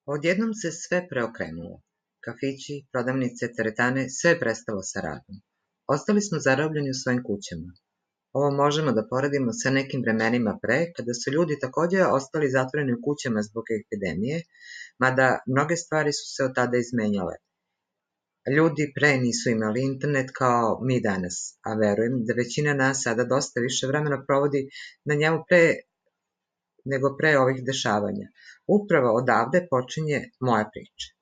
Odjednom se sve preokrenulo. Kafići, prodavnice, teretane, sve je prestalo sa radom. Ostali smo zarobljeni u svojim kućama. Ovo možemo da poredimo sa nekim vremenima pre, kada su ljudi takođe ostali zatvoreni u kućama zbog epidemije, mada mnoge stvari su se od tada izmenjale. Ljudi pre nisu imali internet kao mi danas, a verujem da većina nas sada dosta više vremena provodi na njemu nego pre ovih dešavanja. Upravo odavde počinje moja priča.